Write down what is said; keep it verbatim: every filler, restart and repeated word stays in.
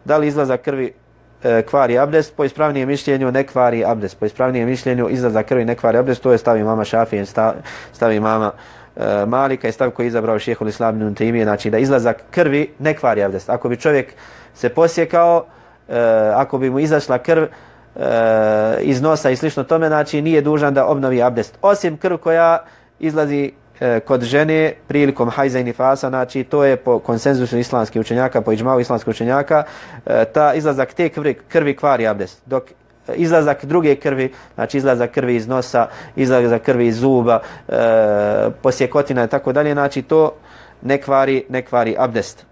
Da li izlazak krvi e, kvari abdest? Po ispravnijem mišljenju ne kvari abdest. Po ispravnijem mišljenju izlazak krvi ne kvari abdest. To je stav imama Šafije, stav, stav imama e, Malika i stav koji je izabrao Šejhul Islam Ibn Tejmije, znači da izlazak krvi ne kvari abdest. Ako bi čovjek se posjekao, e, ako bi mu izašla krv e, iz nosa i slično tome, znači nije dužan da obnovi abdest. Osim krv koja izlazi kod žene prilikom hajza i nifasa, znači to je po konsenzusu islamskih učenjaka, po iđmau islamskih učenjaka, ta izlazak te krvi, krvi kvari abdest. Dok izlazak druge krvi, znači izlazak krvi iz nosa, izlazak krvi iz zuba, e, posjekotina i tako dalje, znači to ne kvari, ne kvari abdest.